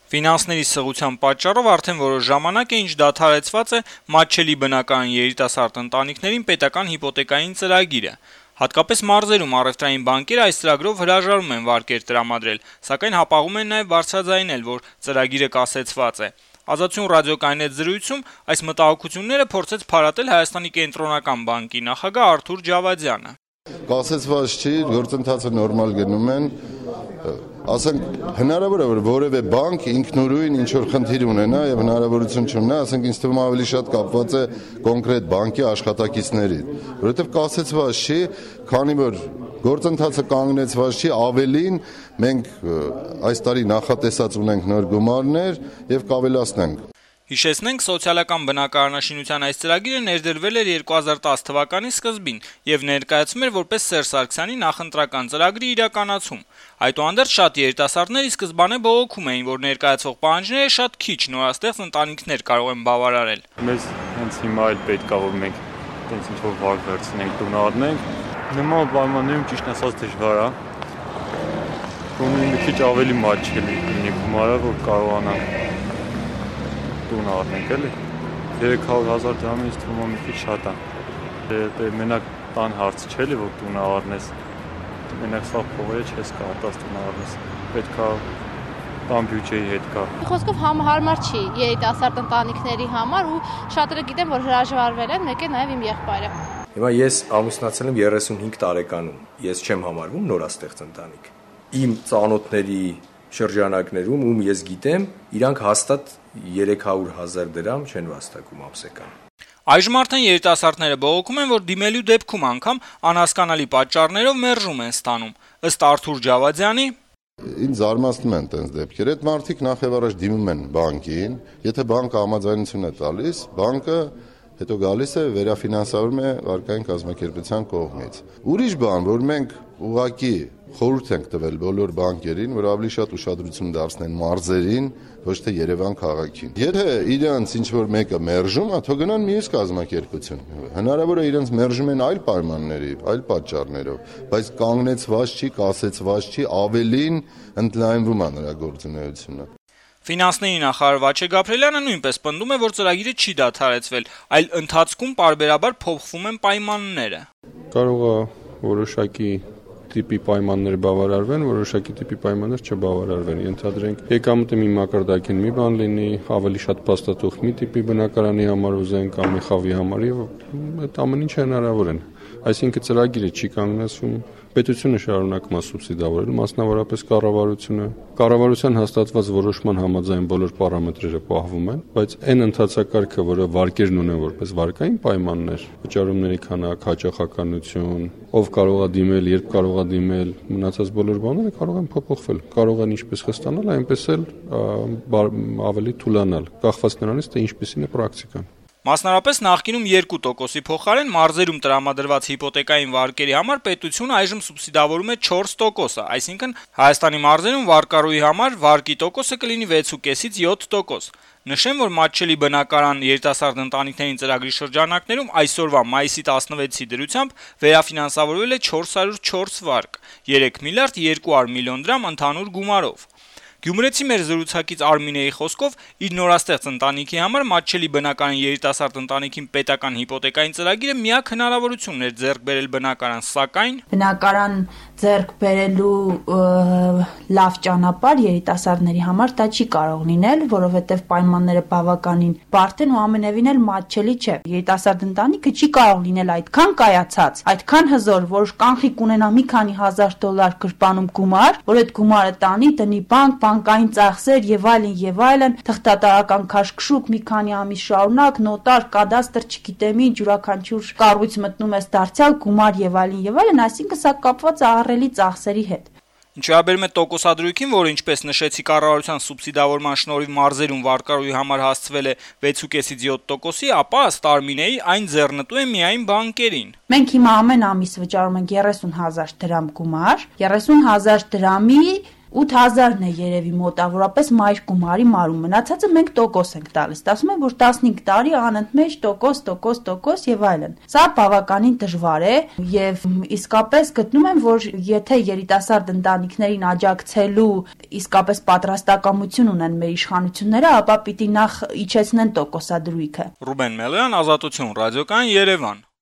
Ֆինանսների սղության պատճառով արդեն որոշ ժամանակ է ինչ դադարեցված է մատչելի բնակարան երիտասարդ ընտանիքներին պետական հիպոթեկային ծրագիրը։ Հատկապես մարզերում առևտրային բանկերը այս ծրագրով հրաժարվում են վարկեր տրամադրել, սակայն հապաղում են նաև բարձրաձայնել, որ ծրագիրը կասեցված է։ Ազատություն ռադիոկայանի հետ զրույցում այս մտահոգությունները փորձեց փարատել Հայաստանի կենտրոնական բանկի նախագահ Արթուր Ջավադյանը։ Կասեցված չի, գործընթացը նորմալ գնում են, ասենք հնարավոր է որ որևէ բանկ ինքնուրույն ինչ որ խնդիր ունենա եւ հնարավորություն չունենա, ասենք ինձ թվում ավելի շատ կապված է կոնկրետ բանկի աշխատակիցների, որովհետեւ կասեցված չի, քանի որ գործընթացը կանգնեցված չի, ավելին մենք այս տարի նախատեսած ունենք նոր գումարներ եւ կավելացնենք։ Հիշեցնենք, սոցիալական բնակարանաշինության այս ծրագիրը ներդրվել էր 2010 թվականի սկզբին եւ ներկայացում էր որպես Սերժ Սարգսյանի նախընտրական ծրագրի իրականացում։ Այդուհանդերձ շատ երիտասարդներ ի սկզբանե բողոքում էին, որ ներկայացող պահանջները շատ քիչ նորաստեղծ ընտանիքներ կարող են բավարարել։ Մեզ հենց հիմա էլ պետք է որ մենք հենց ինչ որ վարկ վերցնենք, տուն առնենք։ Նման պայմաններում ճիշտ ասած դժվար է։ Գոնե մի քիչ ավելի մատչելի լինի գումարը, որ կարողանանք տուն առնենք էլի 300,000 դրամից թվում է մի քիչ շատ է։ Դե մենակ տան հարց չէ էլի որ տուն առնես։ Մենակ սա փողերը չես կարողանաս տուն առնես։ Պետք է բան բյուջեի հետ կա։ Խոսքով համահարմար չի երիտասարդ ընտանիքների համար ու շատերը գիտեն որ հրաժարվել են, մեկ է նաև իմ եղբայրը։ Հիմա ես ամուսնացել եմ 35 տարեկանում։ Ես չեմ համարվում նորաստեղծ ընտանիք։ Իմ ծանոթների շրջանակներում ում ես գիտեմ, իրանք հաստատ 300,000 դրամ չեն վաստակում ամսական։ Այժմ արդեն երիտասարդները բողոքում են, որ դիմելու դեպքում անգամ անհասկանալի պատճառներով մերժում են ստանում։ Ըստ Արթուր Ջավադյանի, ինձ զարմացնում են տենց դեպքեր, այդ մարդիկ նախ եւ առաջ դիմում են բանկին, եթե բանկը համաձայնություն է տալիս, բանկը հետո գալիս է վերաֆինանսավորում է վարկային կազմակերպության կողմից։ Ուրիշ բան, որ մենք ուղղակի խորհուրդ ենք տվել բոլոր բանկերին, որ ավելի շատ ուշադրություն դարձնեն մարզերին, ոչ թե Երևան քաղաքին։ Եթե իրենց ինչ որ մեկը մերժում է, թող գնան մյուս կազմակերպություն։ Հնարավոր է իրենց մերժում են այլ պայմանների, այլ պատճառներով, բայց կանգնեցված չի, կասեցված չի, ավելին ընդլայնվում է նրա գործունեությունը։ Ֆինանսների նախարար Վաչե Գաբրելյանը նույնպես պնդում է, որ ծրագիրը չի դադարեցվել, այլ ընթացքում պարբերաբար փոխվում են պայմանները։ Կարող է որոշակի տիպի պայմաններ բավարարվեն, որոշակի տիպի պայմաններ չբավարարվեն։ Ենթադրենք եկամուտը մի մակարդակին մի բան լինի, ավելի շատ փաստաթուղթ մի տիպի բնակարանի համար ուզեն կամ մի խավի համար եւ այդ ամեն ինչը հնարավոր են։ Այսինքն ծրագիրը չի կանգնեցվում, պետությունը շարունակում է սուբսիդավորել, մասնավորապես կառավարությունը։ Կառավարության հաստատված որոշման համաձայն բոլոր պարամետրերը պահվում են, բայց այն ընթացակարգը, որը վարկերն ունեն որպես վարկային պայմաններ, վճարումների քանակ, հաճախականություն, ով կարող է դիմել, երբ կարող է դիմել, մնացած բոլոր բաները կարող են փոփոխվել, կարող են ինչպես խստանալ, այնպես էլ ավելի թուլանալ, կախված նրանից, թե ինչպիսին է պրակտիկան։ Մասնարապես նախկինում 2%-ի փոխարեն մարզերում տրամադրված հիպոթեկային վարկերի համար պետությունը այժմ սուբսիդավորում է 4%, այսինքն Հայաստանի մարզերում վարկառուի համար վարկի տոկոսը կլինի 6.5-ից 7%։ Նշեմ, որ մատչելի բնակարան երիտասարդ ընտանիքներին ծրագրի շրջանակներում այսօրվա մայիսի 16-ի դրությամբ վերաֆինանսավորվել է 404 վարկ, 3 միլիարդ 200 միլիոն դրամ ընդհանուր գումարով։ Գյումրեցի մեր զրուցակից Արմինեի խոսքով իր նորաստեղծ ընտանիքի համար մատչելի բնակարան երիտասարդ ընտանիքին պետական հիպոթեկային ծրագիրը միակ հնարավորությունն էր ձեռք բերել բնակարան, սակայն բնակարան ձեռք բերելու լավ ճանապարհ երիտասարդների համար դա չի կարող լինել, որովհետև պայմանները բավականին բարդ են ու ամենևին էլ մատչելի չէ։ Երիտասարդ ընտանիքը չի կարող լինել այդքան կայացած, այդքան հզոր, որ կանխիկ ունենա մի քանի $1000 գրպանում գումար, որ այդ գումարը տանի, տնի բանկ, բանկային ծախսեր եւ այլն, թղթատարական քաշքշուկ մի քանի ամիս շարունակ, նոտար, կադաստր, չգիտեմ ինչ, յուրաքանչյուր կառույց մտնում ես դարձյալ գումար եւ այլն, այսինքն սա կապված է ահռելի ծախսերի հետ։ Ինչ վերաբերում է տոկոսադրույքին, որը ինչպես նշեցի կառավարության սուբսիդավորման շնորհիվ մարզերում վարկառուի համար հասցվել է 6.5-ից 7%-ի, ապա ըստ Արմինեի այն ձեռնտու է միայն բանկերին։ Մենք հիմա ամեն ամիս վճարում ենք 30,000 դրամ գումար, 30,000 դրամի 8000-ն է երևի մոտավորապես մայր գումարի մարում, մնացածը մենք տոկոս ենք տալիս, ասում են, որ 15 տարի անընդմեջ տոկոս եւ այլն։ Սա բավականին դժվար է եւ իսկապես գտնում եմ, որ եթե երիտասարդ ընտանիքներին աջակցելու իսկապես պատրաստակամություն ունեն մեր իշխանությունները, ապա պիտի նախ իջեցնեն տոկոսադրույքը։ Ռուբեն Մելոյան, Ազատություն, Ռադիոկայան, Երևան։